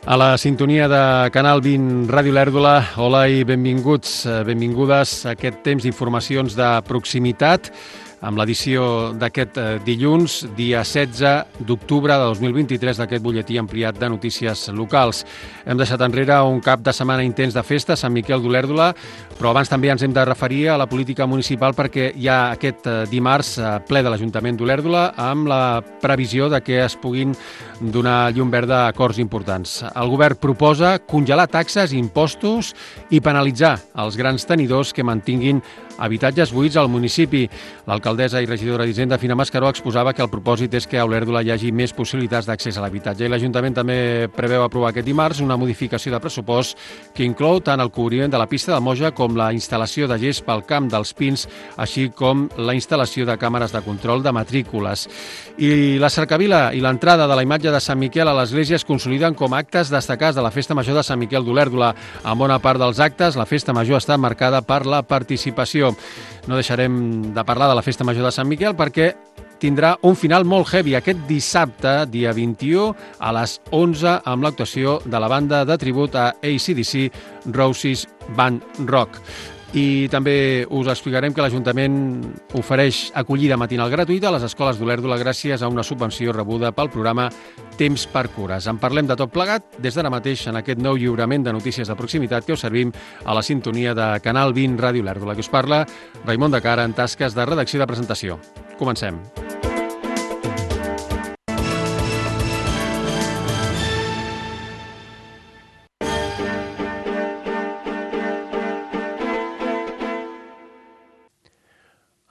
A la sintonia de Canal 20 Ràdio Lèrdula, hola i benvinguts, benvingudes a aquest temps d'informacions de proximitat amb l'edició d'aquest dilluns, dia 16 d'octubre de 2023, d'aquest butlletí ampliat de notícies locals. Hem deixat enrere un cap de setmana intens de festa a Sant Miquel d'Olèrdola, però abans també ens hem de referir a la política municipal perquè hi ha aquest dimarts ple de l'Ajuntament d'Olèrdola amb la previsió de que es puguin donar llum verda a acords importants. El govern proposa congelar taxes, impostos i penalitzar els grans tenidors que mantinguin habitatges buits al municipi. L'alcaldessa i regidora d'Hisenda, Fina Mascaró, exposava que el propòsit és que a Olèrdola hi hagi més possibilitats d'accés a l'habitatge. I l'Ajuntament també preveu aprovar aquest dimarts una modificació de pressupost que inclou tant el cobriment de la pista de Moja com la instal·lació de gespa al camp dels Pins, així com la instal·lació de càmeres de control de matrícules. I la cercavila i l'entrada de la imatge de Sant Miquel a l'església es consoliden com a actes destacats de la Festa Major de Sant Miquel d'Olèrdola. En bona part dels actes, la Festa Major està marcada per la participació. No deixarem de parlar de la Festa Major de Sant Miquel perquè tindrà un final molt heavy aquest dissabte, dia 21, a les 11, amb l'actuació de la banda de tribut a AC/DC Roses Band Rock. I també us explicarem que l'Ajuntament ofereix acollida matinal gratuïta a les escoles d'Olèrdola gràcies a una subvenció rebuda pel programa Temps per Cures. En parlem de tot plegat des d'ara mateix en aquest nou lliurament de notícies de proximitat que us servim a la sintonia de Canal 20 Ràdio Olèrdola, que us parla Raimon de Cara en tasques de redacció i de presentació. Comencem.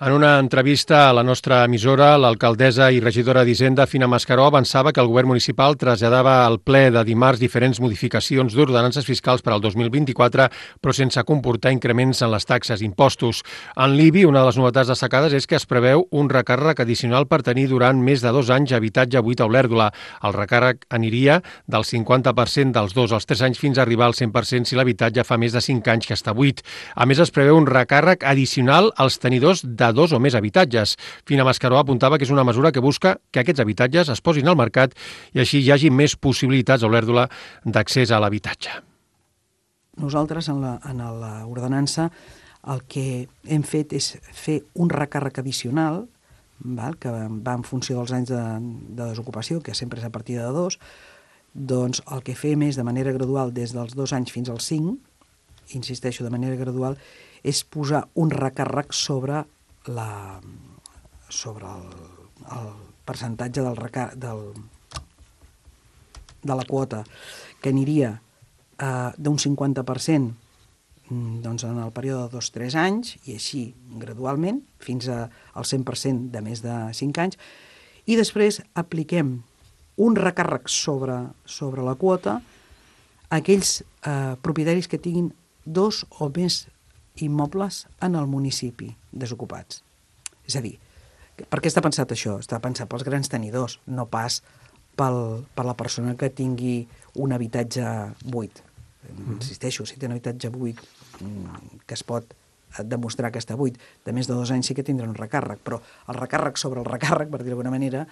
En una entrevista a la nostra emissora, l'alcaldessa i regidora d'Hisenda, Fina Mascaró, avançava que el govern municipal traslladava al ple de dimarts diferents modificacions d'ordenances fiscals per al 2024, però sense comportar increments en les taxes i impostos. En l'IBI, una de les novetats destacades és que es preveu un recàrrec addicional per tenir durant més de 2 anys habitatge buit a Olèrdola. El recàrrec aniria del 50% dels 2 als 3 anys fins a arribar al 100% si l'habitatge fa més de 5 anys que està buit. A més, es preveu un recàrrec addicional als tenidors de 2 o més habitatges. Fina Mascaró apuntava que és una mesura que busca que aquests habitatges es posin al mercat i així hi hagi més possibilitats a Olèrdola d'accés a l'habitatge. Nosaltres, en l'ordenança, el que hem fet és fer un recàrrec addicional, que va en funció dels anys de desocupació, que sempre és a partir de 2, doncs el que fem és de manera gradual des dels 2 anys fins als 5, insisteixo, de manera gradual, és posar un recàrrec sobre el percentatge de la quota, que aniria d'un 50% doncs en el període de 2-3 anys, i així gradualment, fins al 100% de més de 5 anys, i després apliquem un recàrrec sobre la quota a aquells propietaris que tinguin 2 o més immobles en el municipi desocupats. És a dir, per què està pensat això? Està pensat pels grans tenidors, no pas per la persona que tingui un habitatge buit. Insisteixo, si té un habitatge buit que es pot demostrar que està buit, de més de 2 anys sí que tindrà un recàrrec, però el recàrrec sobre el recàrrec, per dir d'alguna manera,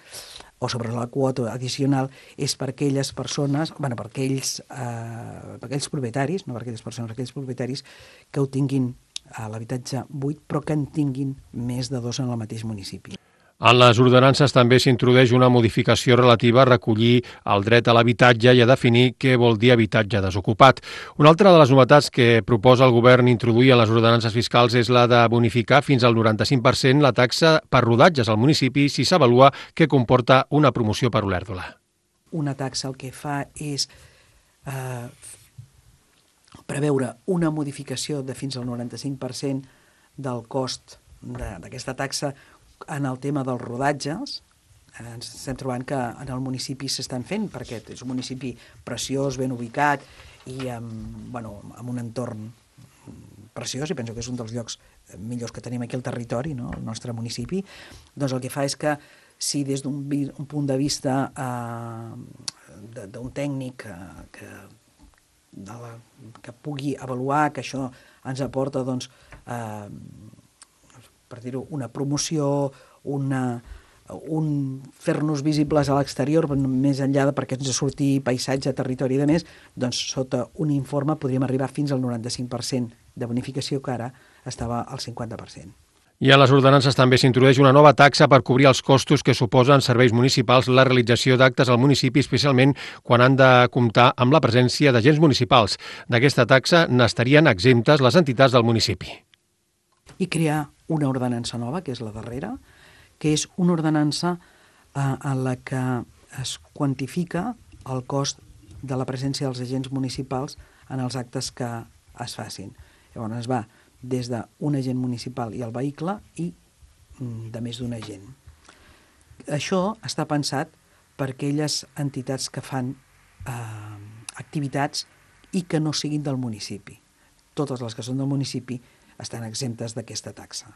o sobre la quota addicional, és per aquelles persones, per aquells propietaris, no per aquelles persones, per aquells propietaris que ho tinguin a l'habitatge buit, però que en tinguin més de 2 en el mateix municipi. En les ordenances també s'introdueix una modificació relativa a recollir el dret a l'habitatge i a definir què vol dir habitatge desocupat. Una altra de les novetats que proposa el govern introduir en les ordenances fiscals és la de bonificar fins al 95% la taxa per rodatges al municipi si s'avalua que comporta una promoció per Olèrdola. Una taxa el que fa és preveure una modificació de fins al 95% del cost d'aquesta taxa. En el tema dels rodatges, ens estem trobant que en el municipi s'estan fent, perquè és un municipi preciós, ben ubicat i amb un entorn preciós, i penso que és un dels llocs millors que tenim aquí al territori, no? El nostre municipi. Doncs el que fa és que si des d'un punt de vista d'un tècnic que pugui avaluar que això ens aporta, doncs, per dir-ho, una promoció, fer-nos visibles a l'exterior, més enllà de perquè ens surti paisatge, territori i de més, doncs sota un informe podríem arribar fins al 95% de bonificació, que ara estava al 50%. I a les ordenances també s'introdueix una nova taxa per cobrir els costos que suposen serveis municipals la realització d'actes al municipi, especialment quan han de comptar amb la presència d'agents municipals. D'aquesta taxa n'estarien exemptes les entitats del municipi. I crear una ordenança nova, que és la darrera, que és una ordenança en la que es quantifica el cost de la presència dels agents municipals en els actes que es facin. Llavors es va des d'un agent municipal i el vehicle i de més d'un agent. Això està pensat per aquelles entitats que fan activitats i que no siguin del municipi. Totes les que són del municipi estan exemptes d'aquesta taxa.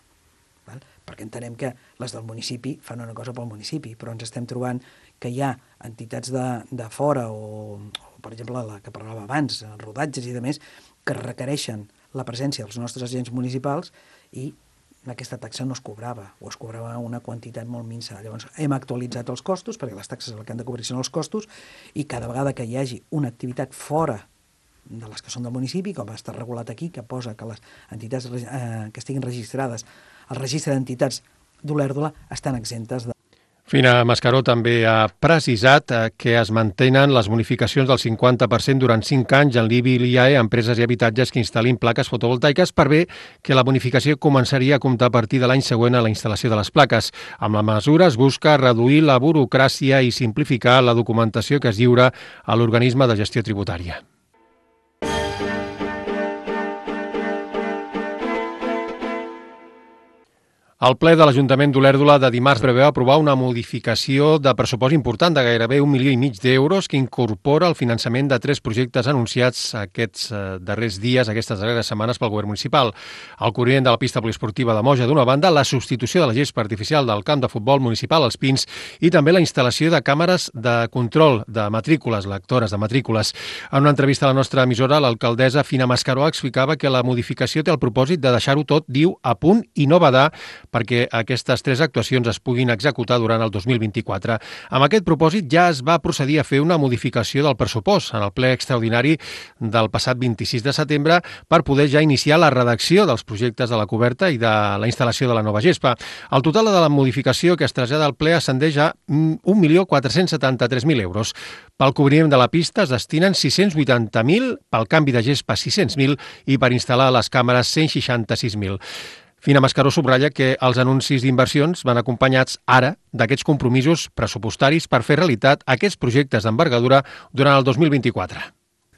Perquè entenem que les del municipi fan una cosa pel municipi, però ens estem trobant que hi ha entitats de fora o per exemple, la que parlava abans, rodatges i de més, que requereixen la presència dels nostres agents municipals i aquesta taxa no es cobrava, o es cobrava una quantitat molt minsa. Llavors hem actualitzat els costos, perquè les taxes el que han de cobrir són els costos, i cada vegada que hi hagi una activitat fora de les que són del municipi, com està regulat aquí, que posa que les entitats que estiguin registrades al registre d'entitats d'Olèrdola estan exemptes de... Fina Mascaró també ha precisat que es mantenen les bonificacions del 50% durant 5 anys en l'IBI i l'IAE a empreses i habitatges que instal·lin plaques fotovoltaiques, per bé que la bonificació començaria a comptar a partir de l'any següent a la instal·lació de les plaques. Amb la mesura es busca reduir la burocràcia i simplificar la documentació que es lliura a l'organisme de gestió tributària. El ple de l'Ajuntament d'Olèrdola de dimarts preveu aprovar una modificació de pressupost important de gairebé 1,5 milió d'euros que incorpora el finançament de 3 projectes anunciats aquests darrers dies, aquestes darreres setmanes pel govern municipal. El corrient de la pista poliesportiva de Moja d'una banda, la substitució de la gespa artificial del camp de futbol municipal als Pins i també la instal·lació de càmeres de control de matrícules, lectores de matrícules. En una entrevista a la nostra emissora, l'alcaldessa Fina Mascaró explicava que la modificació té el propòsit de deixar-ho tot, diu, a punt i no badar perquè aquestes 3 actuacions es puguin executar durant el 2024. Amb aquest propòsit ja es va procedir a fer una modificació del pressupost en el ple extraordinari del passat 26 de setembre per poder ja iniciar la redacció dels projectes de la coberta i de la instal·lació de la nova gespa. El total de la modificació que es trasllada al ple ascendeix a 1.473.000 euros. Pel cobriment de la pista es destinen 680.000, pel canvi de gespa 600.000 i per instal·lar les càmeres 166.000. Fina Mascaró subratlla que els anuncis d'inversions van acompanyats ara d'aquests compromisos pressupostaris per fer realitat aquests projectes d'envergadura durant el 2024.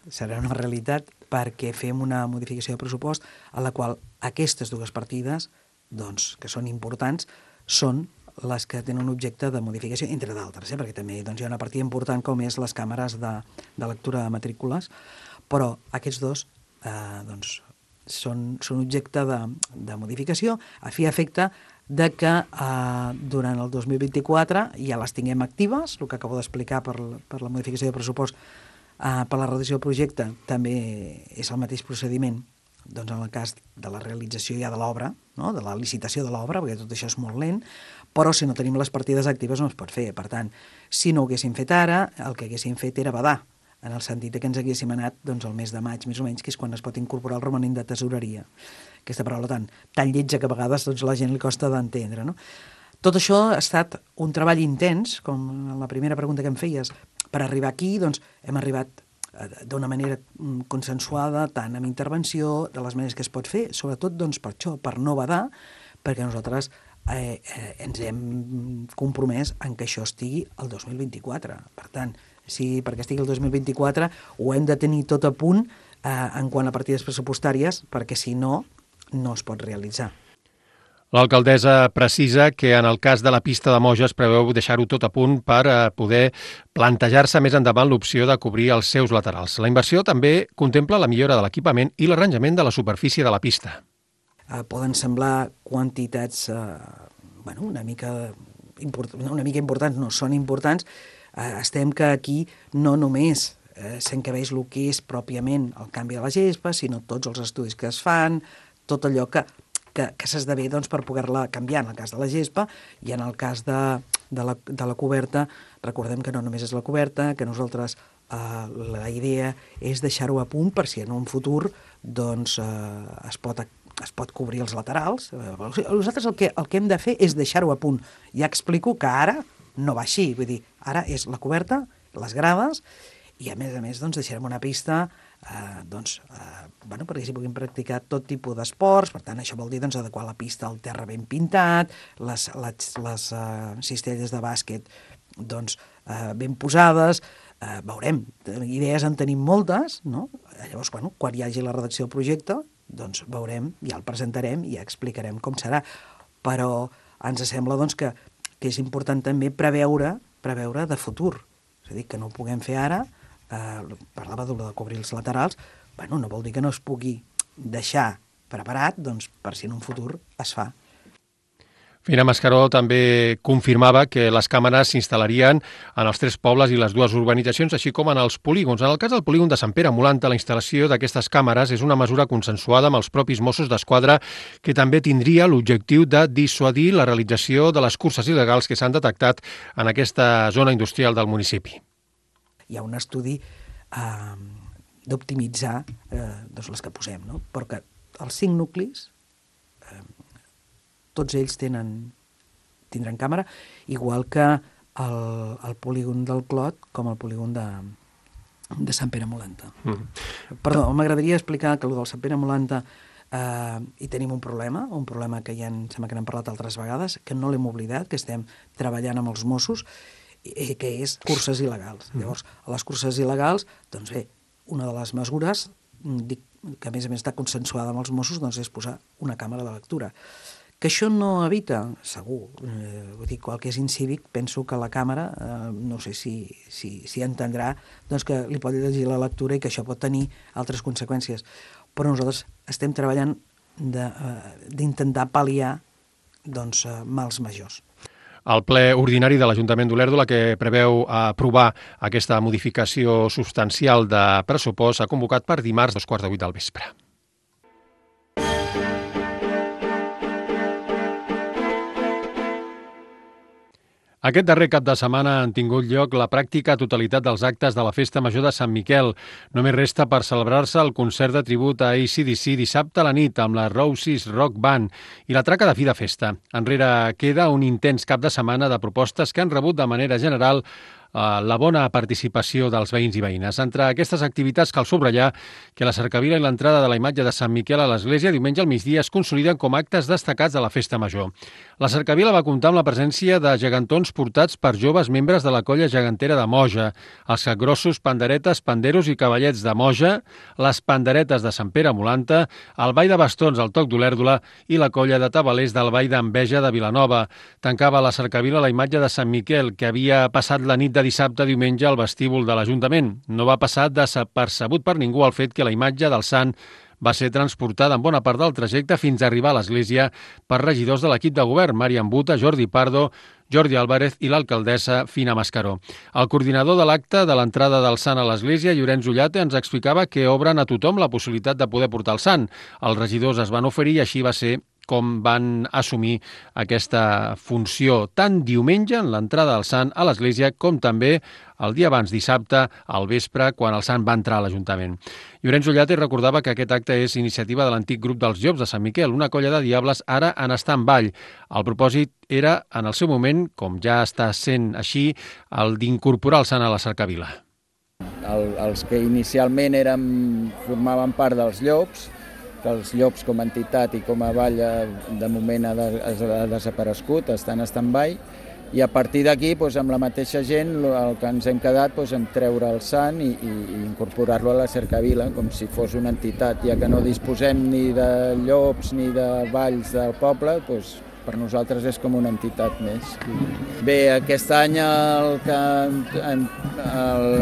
Serà una realitat perquè fem una modificació de pressupost a la qual aquestes 2 partides, doncs, que són importants, són les que tenen un objecte de modificació, entre d'altres, perquè també hi ha una partida important com és les càmeres de lectura de matrícules, però aquests 2 són objecte de modificació a fi i efecte de que durant el 2024 ja les tinguem actives, el que acabo d'explicar per la modificació de pressupost per la redacció del projecte també és el mateix procediment doncs en el cas de la realització ja de l'obra, no? De la licitació de l'obra, perquè tot això és molt lent, però si no tenim les partides actives no es pot fer. Per tant, si no ho haguéssim fet ara, el que haguéssim fet era badar, en el sentit que ens haguéssim anat doncs, el mes de maig, més o menys, que és quan es pot incorporar el romanent de tesoreria. Aquesta paraula tan lletja que a vegades doncs, la gent li costa d'entendre. No? Tot això ha estat un treball intens, com en la primera pregunta que em feies. Per arribar aquí doncs, hem arribat d'una manera consensuada, tant amb intervenció, de les maneres que es pot fer, sobretot doncs, per això, per no badar, perquè nosaltres ens hem compromès en que això estigui el 2024. Per tant, si perquè estigui el 2024 ho hem de tenir tot a punt en quant a partides pressupostàries, perquè si no, no es pot realitzar. L'alcaldessa precisa que en el cas de la pista de Moja es preveu deixar-ho tot a punt per poder plantejar-se més endavant l'opció de cobrir els seus laterals. La inversió també contempla la millora de l'equipament i l'arranjament de la superfície de la pista. Poden semblar quantitats una mica importants, no són importants. Estem que aquí no només s'encabeix el que és pròpiament el canvi de la gespa, sinó tots els estudis que es fan, tot allò que s'esdevé doncs, per poder-la canviar en el cas de la gespa i en el cas de de la coberta, recordem que no només és la coberta, que nosaltres la idea és deixar-ho a punt per si en un futur doncs, es pot cobrir els laterals. Nosaltres el que hem de fer és deixar-ho a punt. Ja explico que ara no va així, vull dir, ara és la coberta, les grades, i a més doncs, deixarem una pista perquè s'hi puguin practicar tot tipus d'esports. Per tant, això vol dir doncs, adequar la pista al terra ben pintat, les cistelles de bàsquet doncs, ben posades. Veurem, idees en tenim moltes, no? Llavors, quan hi hagi la redacció del projecte, doncs veurem, ja el presentarem i ja explicarem com serà. Però ens sembla doncs, que és important també preveure de futur. És a dir, que no ho puguem fer ara. Parlava de cobrir els laterals, no vol dir que no es pugui deixar preparat doncs, per si en un futur es fa. Fina Mascaró també confirmava que les càmeres s'instal·larien en els 3 pobles i les 2 urbanitzacions, així com en els polígons. En el cas del polígon de Sant Pere Molanta, la instal·lació d'aquestes càmeres és una mesura consensuada amb els propis Mossos d'Esquadra, que també tindria l'objectiu de dissuadir la realització de les curses il·legals que s'han detectat en aquesta zona industrial del municipi. Hi ha un estudi d'optimitzar doncs les que posem, no? Perquè els 5 nuclis, tots ells tindran càmera, igual que el polígon del Clot com el polígon de Sant Pere Molanta. Perdó, m'agradaria explicar que el del Sant Pere Molanta hi tenim un problema que ja sembla que n'hem parlat altres vegades, que no l'hem oblidat, que estem treballant amb els Mossos, que és curses il·legals. Llavors, a les curses il·legals, doncs bé, una de les mesures, que a més està consensuada amb els Mossos, doncs és posar una càmera de lectura. Que això no evita, segur, vull dir, qual que és incívic, penso que la càmera, no sé si entendrà, doncs que li pot llegir la lectura i que això pot tenir altres conseqüències. Però nosaltres estem treballant d'intentar pal·liar doncs, mals majors. El ple ordinari de l'Ajuntament d'Olèrdola, que preveu aprovar aquesta modificació substancial de pressupost, s'ha convocat per dimarts 7:15 del vespre. Aquest darrer cap de setmana han tingut lloc la pràctica totalitat dels actes de la Festa Major de Sant Miquel. Només resta per celebrar-se el concert de tribut a AC/DC dissabte a la nit amb la Roses Rock Band i la traca de fi de festa. Enrere queda un intens cap de setmana de propostes que han rebut de manera general la bona participació dels veïns i veïnes. Entre aquestes activitats cal subratllar que la cercavila i l'entrada de la imatge de Sant Miquel a l'església diumenge al migdia es consoliden com actes destacats de la Festa Major. La cercavila va comptar amb la presència de gegantons portats per joves membres de la colla gegantera de Moja, els capgrossos, panderetes, panderos i cavallets de Moja, les panderetes de Sant Pere Molanta, el ball de bastons al Toc d'Olèrdola i la colla de tabalers del ball d'Enveja de Vilanova. Tancava la cercavila la imatge de Sant Miquel, que havia passat la nit de dissabte a diumenge al vestíbul de l'Ajuntament. No va passar desapercebut per ningú el fet que la imatge del sant va ser transportada en bona part del trajecte fins a arribar a l'església per regidors de l'equip de govern, Màriam Buta, Jordi Pardo, Jordi Álvarez i l'alcaldessa Fina Mascaró. El coordinador de l'acte de l'entrada del sant a l'església, Llorenç Ullate, ens explicava que obren a tothom la possibilitat de poder portar el sant. Els regidors es van oferir i així va ser com van assumir aquesta funció tant diumenge en l'entrada del sant a l'església com també el dia abans, dissabte, al vespre, quan el sant va entrar a l'Ajuntament. Llorenç Ullate recordava que aquest acte és iniciativa de l'antic grup dels Llops de Sant Miquel, una colla de diables ara en estar en ball. El propòsit era, en el seu moment, com ja està sent així, el d'incorporar el sant a la cercavila. Els que inicialment formaven part dels Llops, que els Llops com a entitat i com a ball de moment ha desaparegut, estan en stand-by, i a partir d'aquí, amb la mateixa gent, el que ens hem quedat en treure el sant i incorporar-lo a la cercavila, com si fos una entitat, ja que no disposem ni de llops ni de balls del poble, per nosaltres és com una entitat més. Bé, aquest any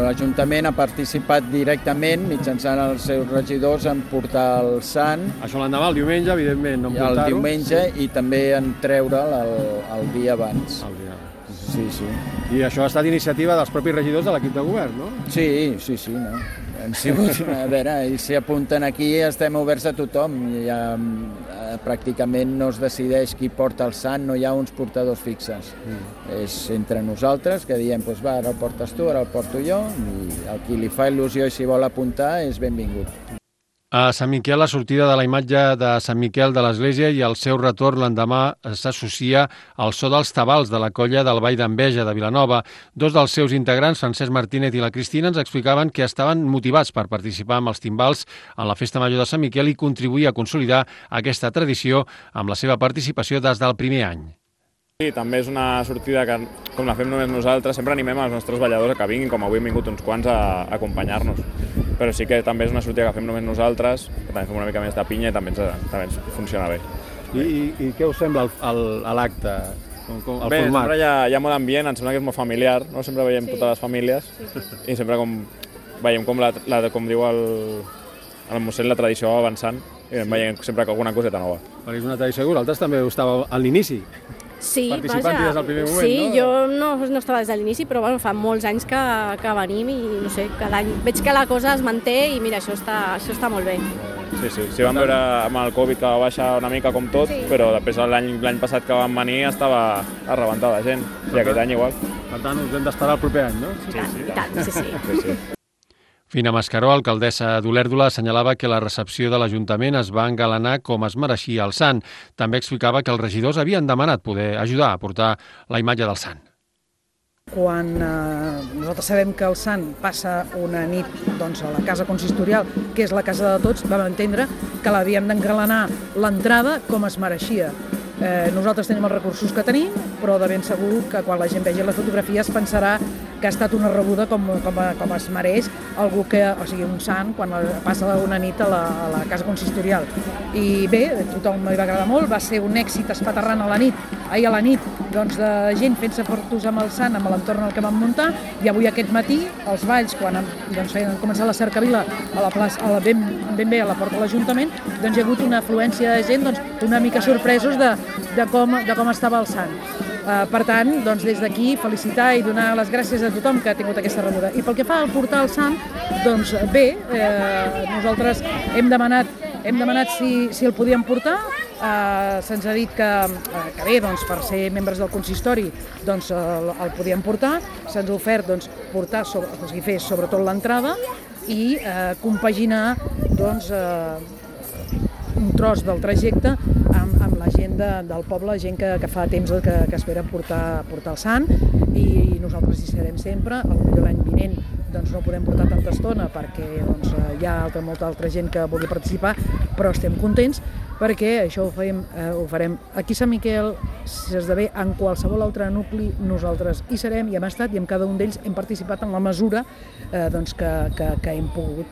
l'Ajuntament ha participat directament, mitjançant els seus regidors, en portar el sant. Això l'endemà, el diumenge, evidentment, no en portar-ho. El diumenge i també en treure'l el dia abans. Sí. I això ha estat iniciativa dels propis regidors de l'equip de govern, no? Sí, no? Han sigut, a veure, ells s'hi apunten aquí i estem oberts a tothom. Pràcticament no es decideix qui porta el sant, no hi ha uns portadors fixes. És entre nosaltres que diem, doncs va, ara el portes tu, ara el porto jo, i el qui li fa il·lusió i s'hi vol apuntar és benvingut. A Sant Miquel, la sortida de la imatge de Sant Miquel de l'Església i el seu retorn l'endemà s'associa al so dels tabals de la colla del Ball d'Enveja de Vilanova. Dos dels seus integrants, Francesc Martínez i la Cristina, ens explicaven que estaven motivats per participar amb els timbals en la Festa Major de Sant Miquel i contribuir a consolidar aquesta tradició amb la seva participació des del primer any. Sí, també és una sortida que, com la fem només nosaltres, sempre animem els nostres balladors a que vinguin, com avui han vingut uns quants a acompanyar-nos. Però sí que també és una sortida que fem només nosaltres, que també fem una mica més de pinya i també ens funciona bé. I què us sembla l'acte? Bé, sempre hi ha molt ambient, em sembla que és molt familiar, no? Sempre veiem totes les famílies i sempre veiem com diu el mossèn, la tradició va avançant i veiem sempre alguna coseta nova. Perquè és una tradició que vosaltres també ho estàveu a l'inici. Sí, participant des del primer moment, sí, no? Jo no estava des de l'inici, però bueno, fa molts anys que venim i no sé, cada any veig que la cosa es manté i mira, això està molt bé. Sí, vam veure amb el Covid que va baixar una mica com tot, però després l'any passat que vam venir estava a rebentar de gent, i aquest any igual. Per tant, us hem d'esperar el proper any, no? Sí. Fina Mascaró, alcaldessa d'Olèrdola, assenyalava que la recepció de l'Ajuntament es va engalanar com es mereixia el sant. També explicava que els regidors havien demanat poder ajudar a portar la imatge del sant. Quan nosaltres sabem que el sant passa una nit doncs, a la casa consistorial, que és la casa de tots, vam entendre que l'havíem d'engalanar l'entrada com es mereixia. Nosaltres tenim els recursos que tenim, però de ben segur que quan la gent vegi les fotografies pensarà que ha estat una rebuda com es mereix algú o sigui, un sant quan passa una nit a la casa consistorial. I bé, a tothom li va agradar molt, va ser un èxit espaterrant ahir a la nit, doncs, de gent fent-se fotos amb el sant, amb l'entorn al que vam muntar, i avui aquest matí, els balls, quan han començat la cercavila a la plaça, ben bé a la porta de l'Ajuntament, doncs hi ha hagut una afluència de gent una mica sorpresos de com estava el sant. Per tant, doncs, des d'aquí felicitar i donar les gràcies a tothom que ha tingut aquesta rebuda. I pel que fa al portar el sant, doncs bé, nosaltres hem demanat si el podíem portar. Se'ns ha dit que bé, doncs, per ser membres del consistori doncs, el podíem portar. Se'ns ha ofert doncs, fer sobretot l'entrada i compaginar doncs, un tros del trajecte amb la gent del poble, gent que fa temps que espera portar el sant, i nosaltres hi serem sempre. Potser l'any vinent doncs, no podem portar tanta estona perquè doncs, hi ha molta altra gent que vulgui participar, però estem contents perquè això ho farem aquí a Sant Miquel, si esdevé en qualsevol altre nucli, nosaltres hi serem i hem estat i amb cada un d'ells hem participat en la mesura doncs, que hem pogut.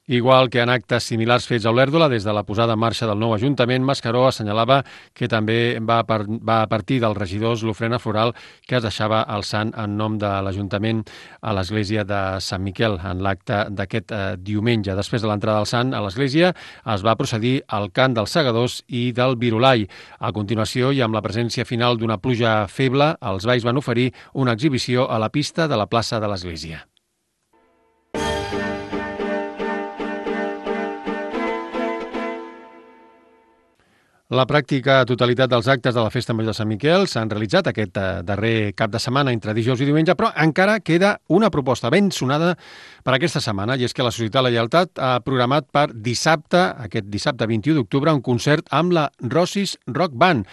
Igual que en actes similars fets a Olèrdola, des de la posada en marxa del nou Ajuntament, Mascaró assenyalava que també va a partir dels regidors l'ofrena floral que es deixava el sant en nom de l'Ajuntament a l'església de Sant Miquel en l'acte d'aquest diumenge. Després de l'entrada del sant a l'església es va procedir al cant dels segadors i del virolai. A continuació, i amb la presència final d'una pluja feble, els balls van oferir una exhibició a la pista de la plaça de l'església. La pràctica totalitat dels actes de la Festa Major de Sant Miquel s'han realitzat aquest darrer cap de setmana entre dijous i diumenge, però encara queda una proposta ben sonada per aquesta setmana, i és que la Societat La Lleialtat ha programat per dissabte, aquest dissabte 21 d'octubre, un concert amb la Rossis Rock Band.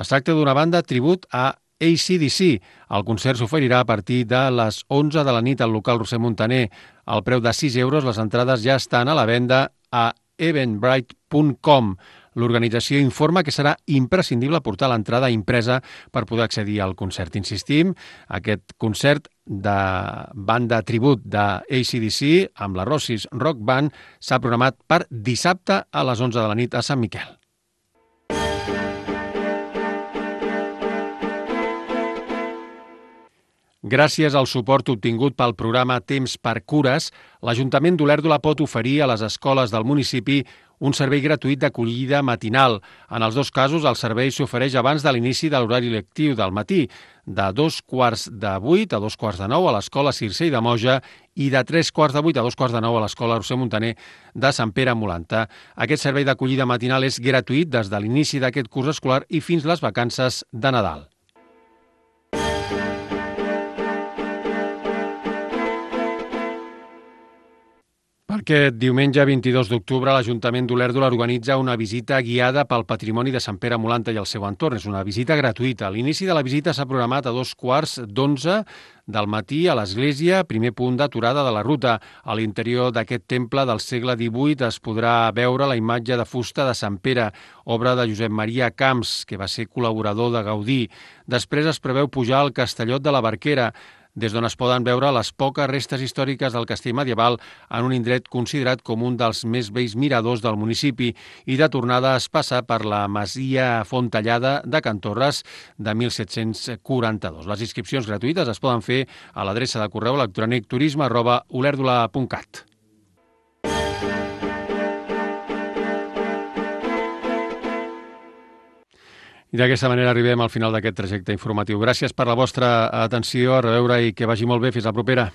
Es tracta d'una banda tribut a AC/DC. El concert s'oferirà a partir de les 11 de la nit al local Roser Montaner. Al preu de 6 euros, les entrades ja estan a la venda a eventbrite.com. L'organització informa que serà imprescindible portar l'entrada impresa per poder accedir al concert. Insistim, aquest concert de banda tribut de AC/DC amb la Rossis Rock Band s'ha programat per dissabte a les 11 de la nit a Sant Miquel. Gràcies al suport obtingut pel programa Temps per Cures, l'Ajuntament d'Olèrdola pot oferir a les escoles del municipi un servei gratuït d'acollida matinal. En els dos casos, el servei s'ofereix abans de l'inici de l'horari lectiu del matí, de 7:45 a 9:15 a l'escola Circell de Moja i de 7:45 a 9:15 a l'escola Roser Montaner de Sant Pere Molanta. Aquest servei d'acollida matinal és gratuït des de l'inici d'aquest curs escolar i fins les vacances de Nadal. Per aquest diumenge 22 d'octubre, l'Ajuntament d'Olèrdola organitza una visita guiada pel patrimoni de Sant Pere Molanta i el seu entorn. És una visita gratuïta. L'inici de la visita s'ha programat a 11:15 del matí a l'església, primer punt d'aturada de la ruta. A l'interior d'aquest temple del segle XVIII es podrà veure la imatge de fusta de Sant Pere, obra de Josep Maria Camps, que va ser col·laborador de Gaudí. Després es preveu pujar al Castellot de la Barquera, des d'on es poden veure les poques restes històriques del castell medieval en un indret considerat com un dels més vells miradors del municipi, i de tornada es passa per la masia Fontellada de Can Torres de 1742. Les inscripcions gratuïtes es poden fer a l'adreça de correu electrònic turisme@olèrdola.cat. I d'aquesta manera arribem al final d'aquest trajecte informatiu. Gràcies per la vostra atenció, a reveure i que vagi molt bé. Fins la propera.